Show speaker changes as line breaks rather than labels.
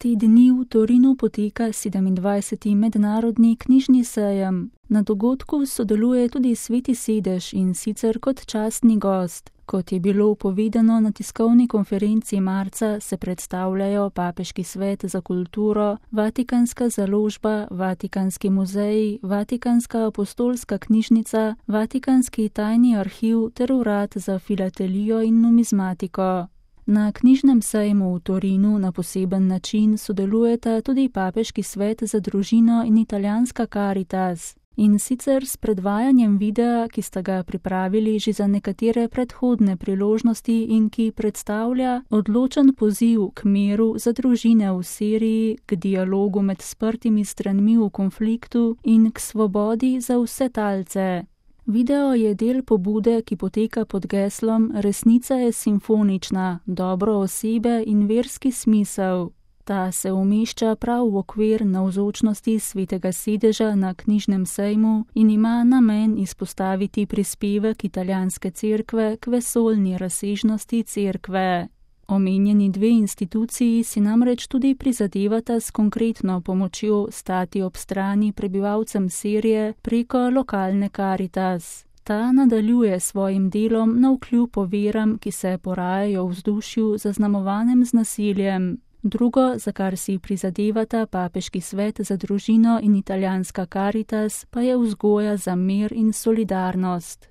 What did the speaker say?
Te dni v Torinu poteka 27. mednarodni knjižni sejem. Na dogodku sodeluje tudi Sveti sedež in sicer kot častni gost. Kot je bilo povedano na tiskovni konferenci marca, se predstavljajo Papeški svet za kulturo, Vatikanska založba, Vatikanski muzej, Vatikanska apostolska knjižnica, Vatikanski tajni arhiv ter urad za filatelijo in numizmatiko. Na knjižnem sejmu v Torinu na poseben način sodelujeta tudi Papeški svet za družino in italijanska Caritas. In sicer s predvajanjem videa, ki sta ga pripravili že za nekatere predhodne priložnosti in ki predstavlja odločen poziv k miru za družine v Siriji, k dialogu med sprtimi stranmi v konfliktu in k svobodi za vse talce. Video je del pobude, ki poteka pod geslom Resnica je simfonična, dobro osebe in verski smisel. Ta se umešča prav v okvir navzočnosti Svetega sedeža na knjižnem sejmu in ima namen izpostaviti prispevek italijanske cerkve k vesoljni razsežnosti cerkve. Omenjeni dve instituciji si namreč tudi prizadevata s konkretno pomočjo stati ob strani prebivalcem Sirije preko lokalne Caritas. Ta nadaljuje svojim delom navkljub oviram, ki se porajajo v vzdušju zaznamovanem z nasiljem. Drugo, za kar si prizadevata Papeški svet za družino in italijanska Caritas, pa je vzgoja za mir in solidarnost.